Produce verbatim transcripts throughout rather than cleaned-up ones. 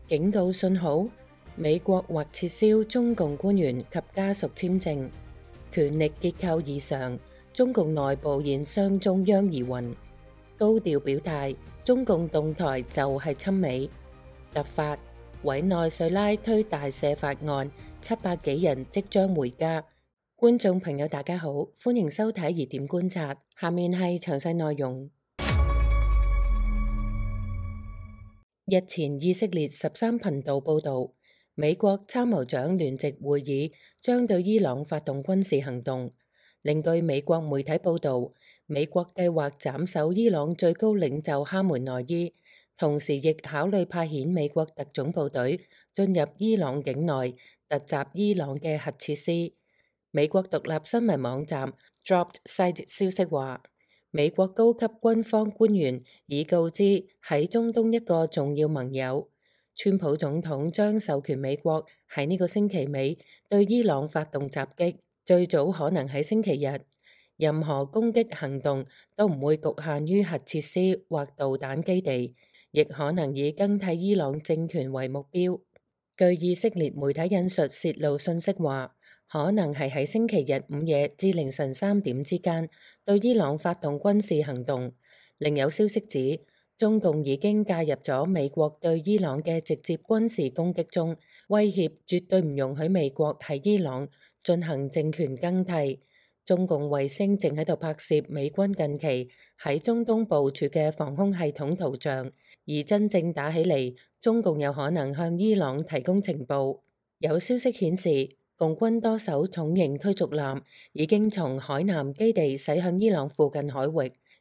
警告信號，美國或撤銷中共官員及家屬簽證，權力結構異常，中共內部現傷中央疑雲，高調表態，中共動態就係親美。突發，委內瑞拉推大赦法案，七百幾人即將回家。觀眾朋友大家好，歡迎收睇疑點觀察，下面係詳細內容。日前以色列十三頻道報道，美國參謀長聯席會議將對伊朗發動軍事行動。另據美國媒體報道，美國計劃斬首伊朗最高領袖哈梅內伊，同時亦考慮派遣美國特種部隊進入伊朗境內，突襲伊朗嘅核設施。美國獨立新聞網站 Dropped Site 消息話，美國高級軍方官員已告知喺中東一個重要盟友，川普總統將授權美國喺呢個星期尾對伊朗發動襲擊，最早可能喺星期日。任何攻擊行動都唔會局限於核設施或導彈基地，亦可能以更替伊朗政權為目標。據以色列媒體引述泄露信息話，可能係喺星期日午夜至凌晨三點之間對伊朗發動軍事行動。另有消息指，中共已經介入咗美國對伊朗嘅直接軍事攻擊中，威脅絕對唔容許美國喺伊朗進行政權更替。中共衛星正喺度拍攝美軍近期喺中東部署嘅防空系統圖像，而真正打起嚟，中共有可能向伊朗提供情報。有消息顯示，共軍多艘重型驅逐艦已經從海南基地駛向伊朗附近海域，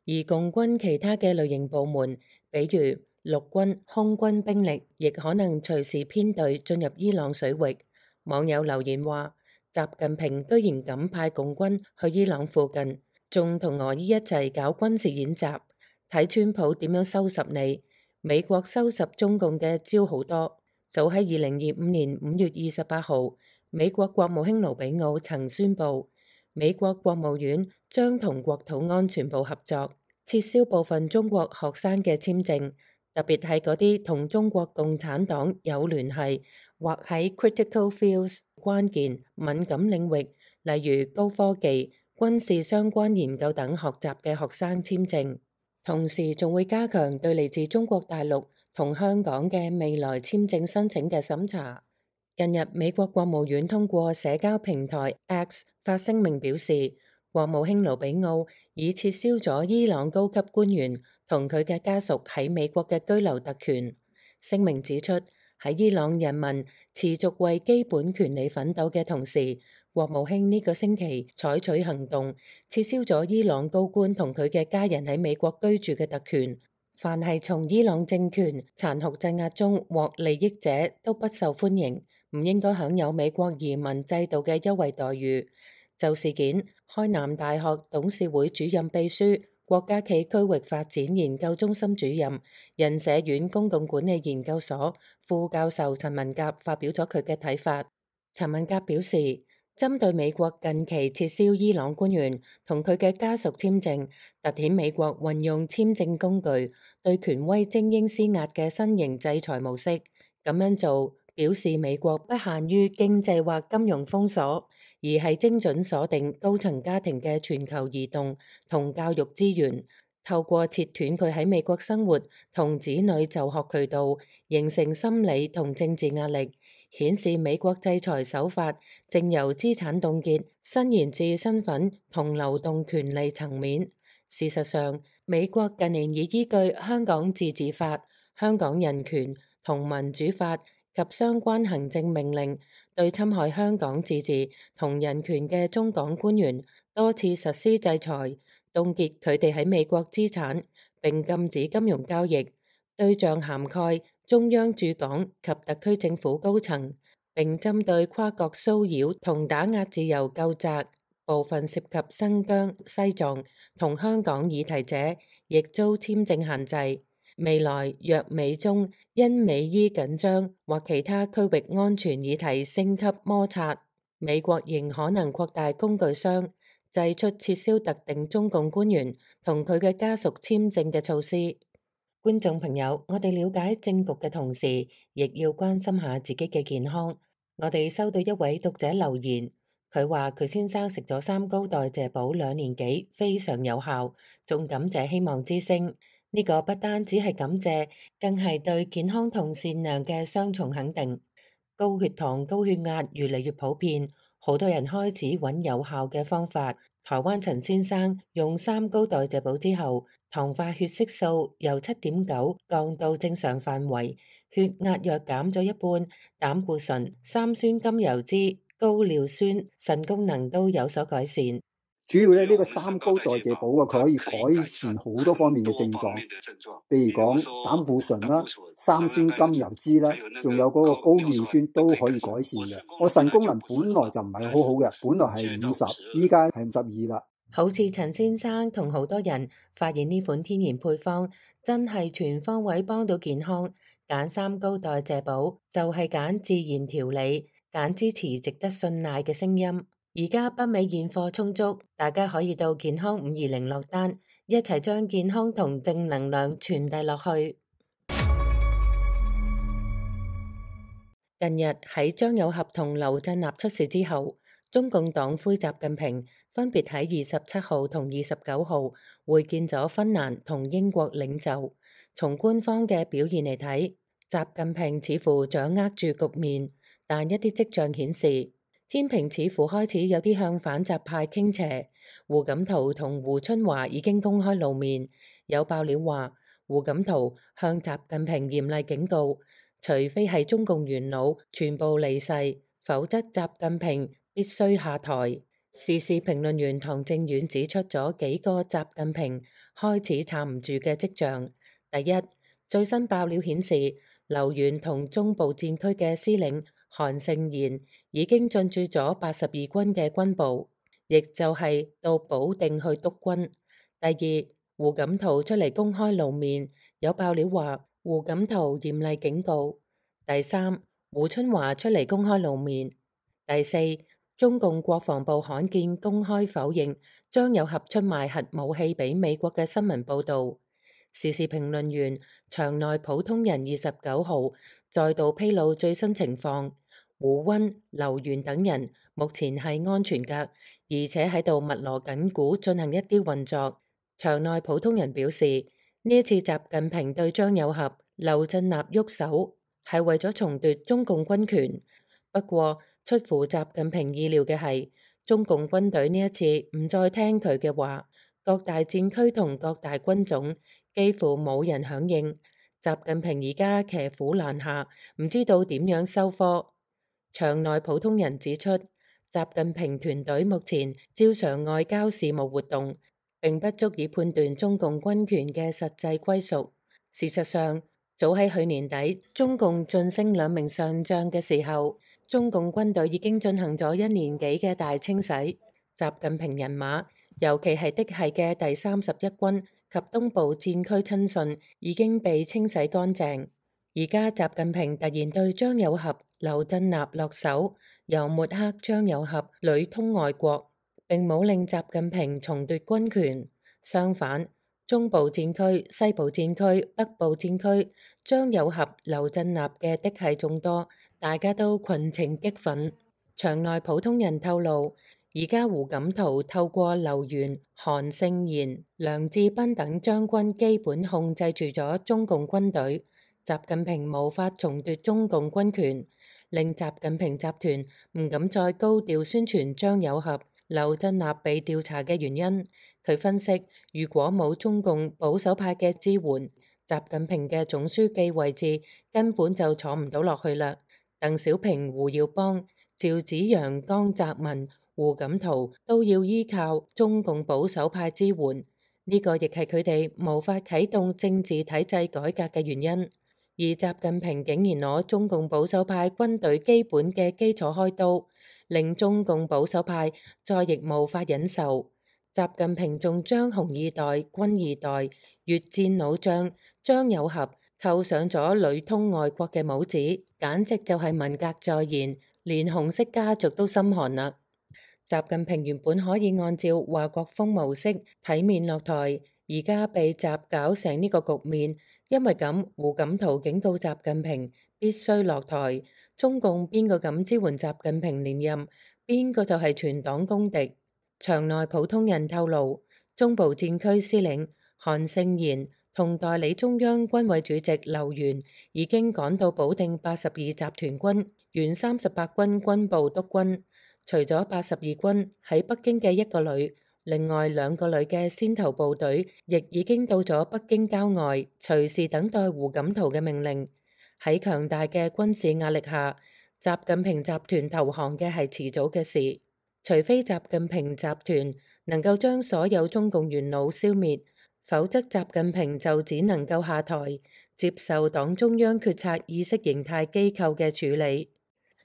而共軍其他嘅類型部門，比如陸軍、空軍兵力，亦可能隨時編隊進入伊朗水域。網友留言話，習近平居然敢派共軍去伊朗附近，仲同俄伊一齊搞軍事演習，睇川普點樣收拾你。美國收拾中共嘅招好多。早喺二零二五年五月二十八號，美國國務卿盧比奧曾宣布，美國國務院將同國土安全部合作，撤銷部分中國學生嘅簽證，特別係嗰啲同中國共產黨有聯繫或喺 critical fields 關鍵敏感領域，例如高科技、軍事相關研究等學習嘅學生簽證。同時仲會加強對嚟自中國大陸同香港嘅未來簽證申請嘅審查。近日，美國國務院通過社交平台 X 發聲明表示，國務卿盧比奧已撤銷咗伊朗高級官員同佢嘅家屬喺美國嘅居留特權。聲明指出，喺伊朗人民持續為基本權利奮鬥嘅同時，國務卿呢個星期採取行動，撤銷咗伊朗高官同佢嘅家人喺美國居住嘅特權。凡係從伊朗政權殘酷鎮壓中獲利益者都不受歡迎，唔應該享有美國移民制度嘅優惠待遇。就事件，開南大學董事會主任秘書、國家企區域發展研究中心主任、人社院公共管理研究所副教授陳文甲發表咗佢嘅睇法。陳文甲表示，針對美國近期撤銷伊朗官員同佢嘅家屬簽證，凸顯美國運用簽證工具對權威精英施壓嘅新型制裁模式。咁樣做表示美國不限於經濟或金融封鎖，而係精準鎖定高層家庭嘅全球移動同教育資源，透過切斷佢喺美國生活同子女就學渠道，形成心理同政治壓力，顯示美國制裁手法正由資產凍結伸延至身份同流動權利層面。事實上，美國近年已依據香港自治法、香港人權同民主法及相關行政命令，對侵害香港自治同人權嘅中港官員多次實施制裁，凍結佢哋喺美國資產，並禁止金融交易，對象涵蓋中央駐港及特區政府高層，並針對跨國騷擾同打壓自由究責，部分涉及新疆、西藏同香港議題者，亦遭簽證限制。未來若美中因美伊緊張或其他區域安全議題升級摩擦，美國仍可能擴大工具箱，祭出撤銷特定中共官員同佢嘅家屬簽證嘅措施。觀眾朋友，我哋了解政局嘅同時，亦要關心下自己嘅健康。我哋收到一位讀者留言，佢話佢先生食咗三高代謝寶兩年幾，非常有效，仲感謝希望之聲。呢個不單只係感謝，更係對健康同善良嘅雙重肯定。高血糖、高血壓越嚟越普遍，好多人開始揾有效嘅方法。台灣陳先生用三高代謝寶之後，糖化血色素由七點九降到正常範圍，血壓藥減咗一半，膽固醇、三酸甘油酯、高尿酸、腎功能都有所改善。主要咧，呢個三高代謝寶啊，佢可以改善好多方面嘅症狀，譬如講膽固醇啦、三酸甘油酯啦，仲有嗰個高尿酸都可以改善嘅。我腎功能本來就唔係好好嘅，本來係五十，依家係五十二啦。好似陳先生同好多人發現呢款天然配方真係全方位幫到健康，揀三高代謝寶就係揀自然調理，揀支持值得信賴嘅聲音。而家北美現貨充足，大家可以到健康五二零落單，一齊將健康同正能量傳遞落去。近日喺張友俠同劉振立出事之後，中共黨魁習近平分別喺二十七號同二十九號會見咗芬蘭同英國領袖。從官方嘅表現嚟睇，習近平似乎掌握住局面，但一啲跡象顯示，天平似乎開始有啲向反習派傾斜。胡錦濤同胡春華已經公開露面，有爆料話胡錦濤向習近平嚴厲警告，除非係中共元老全部離世，否則習近平必須下台。時事評論員唐正遠指出咗幾個習近平開始撐唔住嘅跡象。第一，最新爆料顯示，劉源同中部戰區嘅司令韓勝賢已經進駐咗八十二軍嘅軍部，亦就係到保定去督軍。第二，胡錦濤出嚟公開露面，有爆料話胡錦濤嚴厲警告。第三，胡春華出嚟公開露面。第四，中共國防部罕見公開否認張友俠出賣核武器俾美國嘅新聞報導。時事評論員場內普通人二十九號再度披露最新情況，胡溫、劉源等人目前係安全㗎，而且喺度密鑼緊鼓進行一啲運作。場內普通人表示，呢一次習近平對張友俠、劉振立喐手係為咗重奪中共軍權。不過出乎習近平意料嘅係，中共軍隊呢一次唔再聽佢嘅話，各大戰區同各大軍種幾乎冇人響應。習近平而家騎虎難下，唔知道點樣收科。場內普通人指出，習近平團隊目前照常外交事務活動，並不足以判斷中共軍權嘅實際歸屬。事實上，早喺去年底，中共晉升兩名上將嘅時候，中共軍隊已經進行咗一年幾嘅大清洗。習近平人馬，尤其係嫡系嘅第三十一軍及東部戰區親信已經被清洗乾淨。而家習近平突然對張友俠、劉振立落手，又抹黑張友俠屢通外國，並冇令習近平重奪軍權。相反，中部戰區、西部戰區、北部戰區，張友俠、劉振立嘅嫡系眾多，大家都群情激憤。場內普通人透露，而家胡錦濤透過劉源、韓勝賢、梁志斌等將軍基本控制住咗中共軍隊，習近平無法重奪中共軍權，令習近平集團唔敢再高調宣傳張友俠、劉振立被調查嘅原因。佢分析，如果冇中共保守派嘅支援，習近平嘅總書記位置根本就坐唔到落去啦。鄧小平、胡耀邦、趙紫陽、江澤民、胡錦濤都要依靠中共保守派支援，呢個亦係佢哋無法啟動政治體制改革嘅原因。而習近平竟然攞中共保守派軍隊基本嘅基礎開刀，令中共保守派再亦無法忍受。習近平仲將紅二代、軍二代、越戰老將張友俠扣上咗屢通外國嘅帽子，簡直就係文革再現，連紅色家族都心寒啦。習近平原本可以按照華國鋒模式體面落台，而家被習搞成呢個局面，因為咁，胡錦濤警告習近平必須落台。中共邊個敢支援習近平連任，邊個就係全黨公敵。場內普通人透露，中部戰區司令韓勝賢同代理中央軍委主席劉源已經趕到保定八十二集團軍原三十八軍軍部督軍。除咗八十二軍喺北京嘅一個旅，另外兩個旅嘅先頭部隊亦已經到咗北京郊外，隨時等待胡錦濤嘅命令。喺強大嘅軍事壓力下，習近平集團投降嘅係遲早嘅事。除非習近平集團能夠將所有中共元老消滅，否則習近平就只能夠下台，接受黨中央決策意識形態機構嘅處理。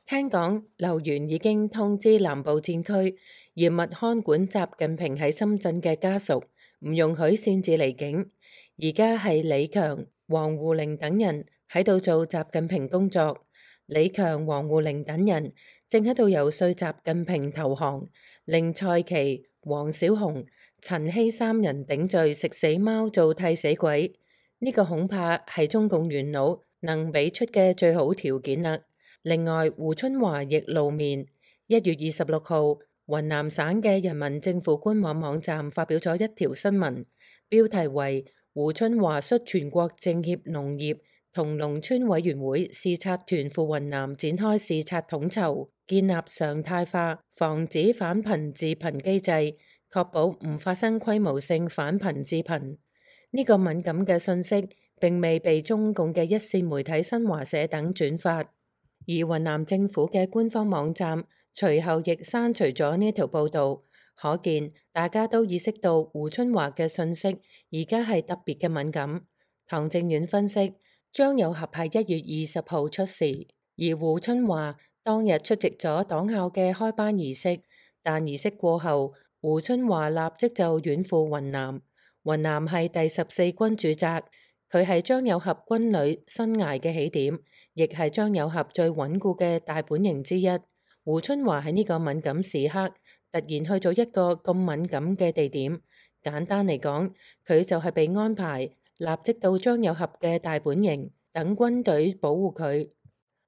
聽講劉源已經通知南部戰區嚴密看管習近平喺深圳嘅家屬，唔容許擅自離境。而家係李強、王滬寧等人喺度做習近平工作。李強、王滬寧等人正喺度游說習近平投降，令蔡奇、黃小紅、陳希三人頂罪食死貓做替死鬼。呢、這個恐怕係中共元老能俾出嘅最好條件啦。另外，胡春華亦露面。一月二十六號，雲南省嘅人民政府官網網站發表咗一條新聞，標題為胡春華率全國政協農業同農村委員會視察團赴雲南展開視察統籌，建立常態化防止反貧致貧機制，確保唔發生規模性反貧致貧。呢、這個敏感嘅信息並未被中共嘅一線媒體新華社等轉發。而雲南政府嘅官方網站隨後亦刪除咗呢條報導，可見大家都意識到胡春華嘅信息而家係特別嘅敏感。唐正遠分析，張有俠係一月二十號出事，而胡春華當日出席咗黨校嘅開班儀式，但儀式過後，胡春華立即就遠赴雲南。雲南係第十四軍駐紮，佢係張有俠軍旅生涯嘅起點，亦係張有俠最穩固嘅大本營之一。胡春華喺呢個敏感時刻突然去咗一個咁敏感嘅地點，簡單嚟講，佢就係被安排立即到張有俠嘅大本營等軍隊保護佢。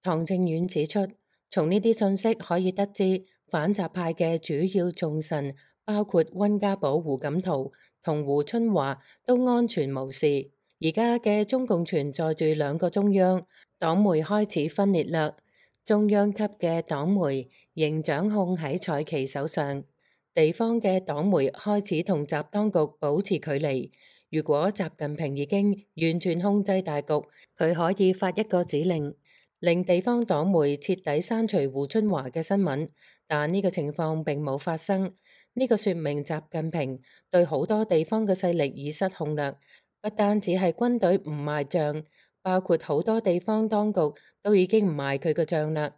唐正遠指出，從呢啲信息可以得知，反習派嘅主要重臣包括溫家寶、胡錦濤同胡春華都安全無事。而家嘅中共存在住兩個中央，黨媒開始分裂啦。中央級嘅黨媒仍掌控喺蔡奇手上，地方嘅黨媒開始同習當局保持距離。如果習近平已經完全控制大局，佢可以發一個指令，令地方黨媒徹底刪除胡春華嘅新聞。但呢個情況並冇發生，呢個說明習近平對好多地方嘅勢力已失控啦。不單止係軍隊唔賣賬，包括好多地方當局都已經唔賣佢個賬啦。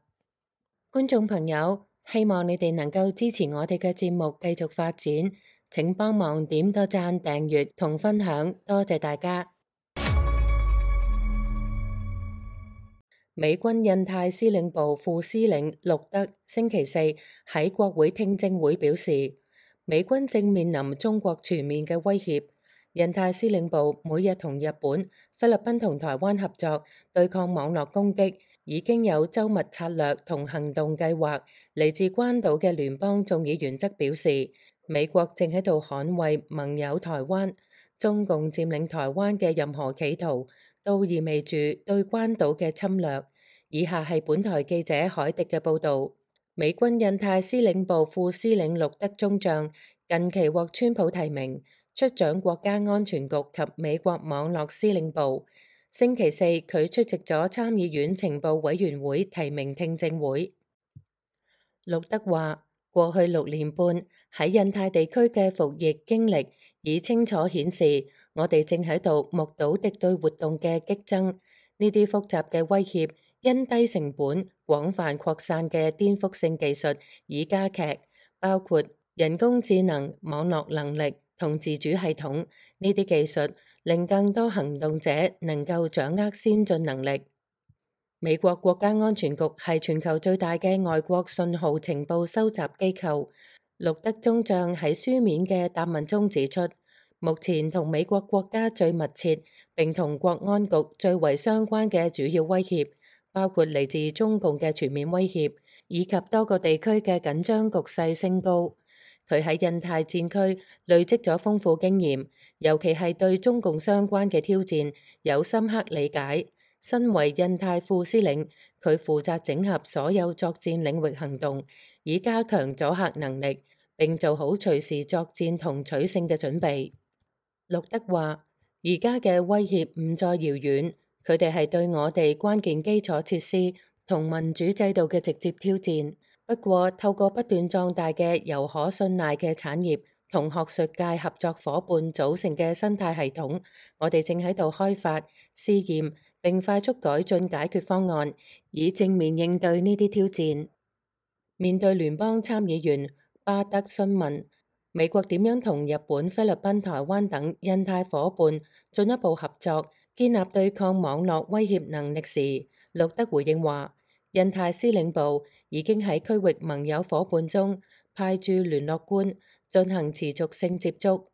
觀眾朋友，希望你哋能夠支持我哋嘅節目繼續發展，請幫忙點個讚、訂閱同分享，多謝大家。美軍印太司令部副司令陸德星期四喺國會聽證會表示，美軍正面臨中國全面嘅威脅。印太司令部每日同日本、菲律賓同台灣合作對抗網絡攻擊，已經有周密策略同行動計劃。嚟自關島嘅聯邦眾議員則表示，美國正喺度捍衛盟友台灣，中共佔領台灣嘅任何企圖都意味住對關島嘅侵略。以下係本台記者海迪嘅報導。美軍印太司令部副司令陸德中將近期獲川普提名出掌國家安全局及美國網絡司令部。星期四，佢出席咗參議院情報委員會提名聽證會。陸德話：過去六年半喺印太地區嘅服役經歷已清楚顯示，我哋正喺度目睹敵對活動嘅激增。呢啲複雜嘅威脅因低成本、廣泛擴散嘅顛覆性技術已加劇，包括人工智能、網絡能力同自主系統。呢啲技術令更多行動者能夠掌握先進能力。美國國家安全局係全球最大嘅外國信號情報收集機構。陸德中將喺書面嘅答問中指出，目前同美國國家最密切並同國安局最為相關嘅主要威脅，包括嚟自中共嘅全面威脅，以及多個地區嘅緊張局勢升高。佢喺印太戰區累積咗豐富經驗，尤其係對中共相關嘅挑戰有深刻理解。身為印太副司令，佢負責整合所有作戰領域行動，以加強阻嚇能力，並做好隨時作戰同取勝嘅準備。陸德話：而家嘅威脅唔再遙遠，佢哋係對我哋關鍵基礎設施同民主制度嘅直接挑戰。不過，透過不斷壯大嘅由可信賴嘅產業同學術界合作夥伴組成嘅生態系統，我哋正喺度開發、試驗並快速改進解決方案，以正面應對呢啲挑戰。面對聯邦參議員巴德詢問美國點樣同日本、菲律賓、台灣等印太夥伴進一步合作，建立對抗網絡威脅能力時，陸德回應話：印太司令部已經喺區域盟友夥伴中派駐聯絡官進行持續性接觸。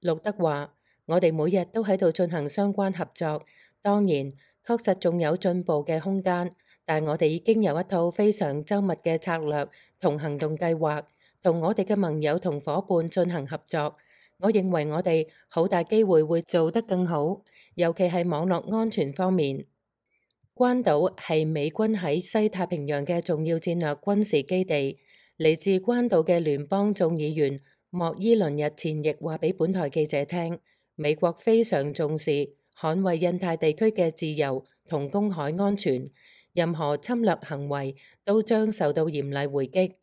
陸德話：我哋每日都喺度進行相關合作，當然確實仲有進步嘅空間，但我哋已經有一套非常周密嘅策略同行動計劃，同我哋嘅盟友同夥伴進行合作。我認為我哋好大機會會做得更好，尤其係網絡安全方面。關島係美軍喺西太平洋嘅重要戰略軍事基地。嚟自關島嘅聯邦眾議員莫伊倫日前亦話俾本台記者聽，美國非常重視捍衛印太地區嘅自由同公海安全，任何侵略行為都將受到嚴厲回擊。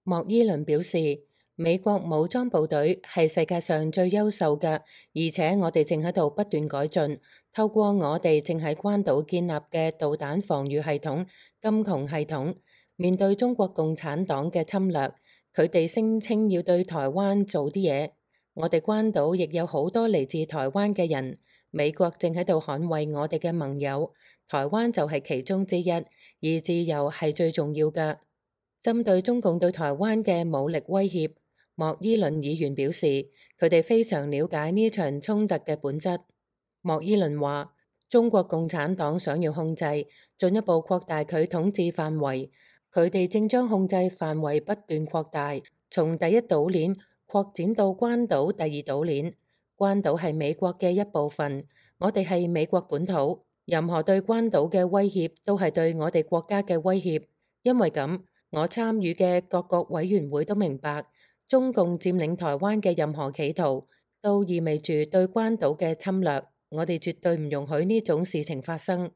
莫伊倫表示，美國武裝部隊係世界上最優秀嘅，而且我哋正喺度不斷改進，透過我哋正喺關島建立嘅導彈防禦系統金窮系統，面對中國共產黨嘅侵略，佢哋聲稱要對台灣做啲嘢。我哋關島亦有好多嚟自台灣嘅人，美國正喺度捍衛我哋嘅盟友，台灣就係其中之一，而自由係最重要嘅。針對中共對台灣嘅武力威脅，莫伊倫議員表示，佢哋非常了解呢場衝突嘅本質。莫伊倫話：中國共產黨想要控制，進一步擴大佢統治範圍，佢哋正將控制範圍不斷擴大，從第一島鏈擴展到關島第二島鏈。關島係美國嘅一部分，我哋係美國本土，任何對關島嘅威脅都係對我哋國家嘅威脅。因為咁，我參與嘅各個委員會都明白，中共佔領台灣嘅任何企圖，都意味住對關島嘅侵略。我哋絕對唔容許呢種事情發生。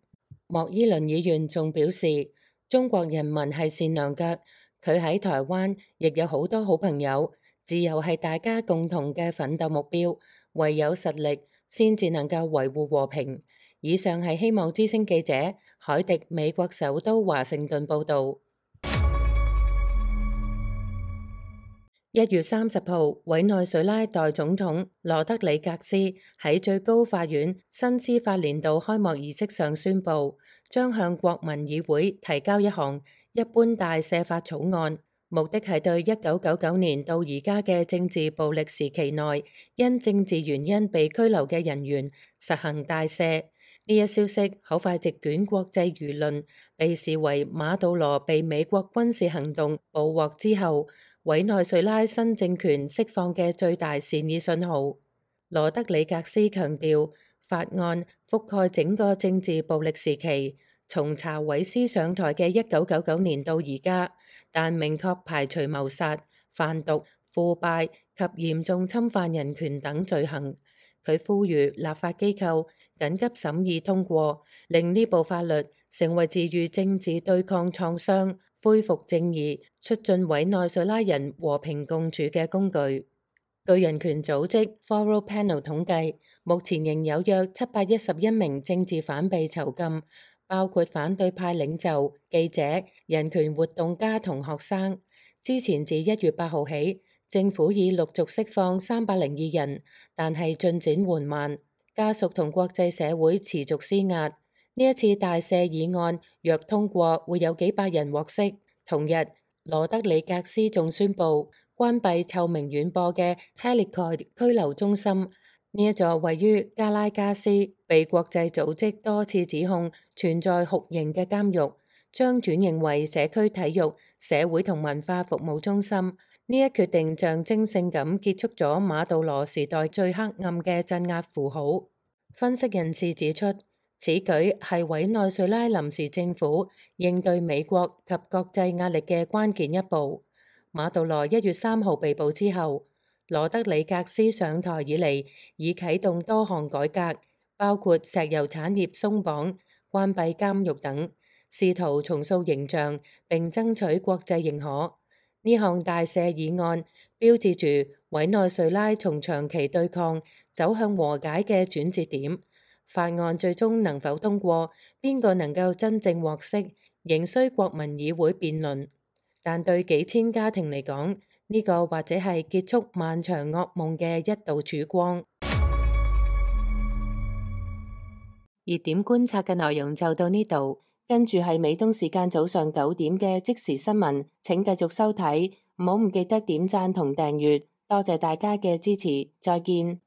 莫伊倫議員仲表示，中國人民係善良嘅，佢喺台灣亦有好多好朋友，自由係大家共同嘅奮鬥目標，唯有實力先至能夠維護和平。以上係希望之聲記者海迪美國首都華盛頓報導。一月三十號，委內瑞拉代總統羅德里格斯喺最高法院新司法年度開幕儀式上宣布，將向國民議會提交一項一般大赦法草案，目的係對一九九九年到而家嘅政治暴力時期內因政治原因被拘留嘅人員實行大赦。呢一消息好快席捲國際輿論，被視為馬杜羅被美國軍事行動捕獲之後，委內瑞拉新政權釋放嘅最大善意信號。羅德里格斯強調，法案覆蓋整個政治暴力時期，從查韋斯上台嘅一九九九年到而家，但明確排除謀殺、販毒、腐敗及嚴重侵犯人權等罪行。佢呼籲立法機構緊急審議通過，令呢部法律成為治癒政治對抗創傷、恢復正義、促進委內瑞拉人和平共處嘅工具。據人權組織 Forum Panel 統計，目前仍有約七百一十一名政治犯被囚禁，包括反對派領袖、記者、人權活動家同學生。之前自一月八號起，政府已陸續釋放三百零二人，但係進展緩慢，家屬同國際社會持續施壓。呢一次大赦議案若通過，會有幾百人獲釋。同日，羅德里格斯仲宣布關閉臭名遠播嘅 Helicoid 拘留中心。呢一座位於加拉加斯，被國際組織多次指控存在酷刑嘅監獄，將轉型為社區體育、社會同文化服務中心。呢一決定象徵性咁結束咗馬杜羅時代最黑暗嘅鎮壓符號。分析人士指出，此舉係委內瑞拉臨時政府應對美國及國際壓力嘅關鍵一步。馬杜羅一月三號被捕之後，羅德里格斯上台以嚟，已啟動多項改革，包括石油產業鬆綁、關閉監獄等，試圖重塑形象並爭取國際認可。呢項大赦議案標誌住委內瑞拉從長期對抗走向和解嘅轉折點。法案最終能否通過，邊個能夠真正獲釋，仍需國民議會辯論。但對幾千家庭嚟講，呢個或者係結束漫長噩夢嘅一道曙光。熱點觀察嘅內容就到呢度，跟住係美東時間早上九點嘅即時新聞，請繼續收睇，唔好唔記得點讚同訂閱，多謝大家嘅支持，再見。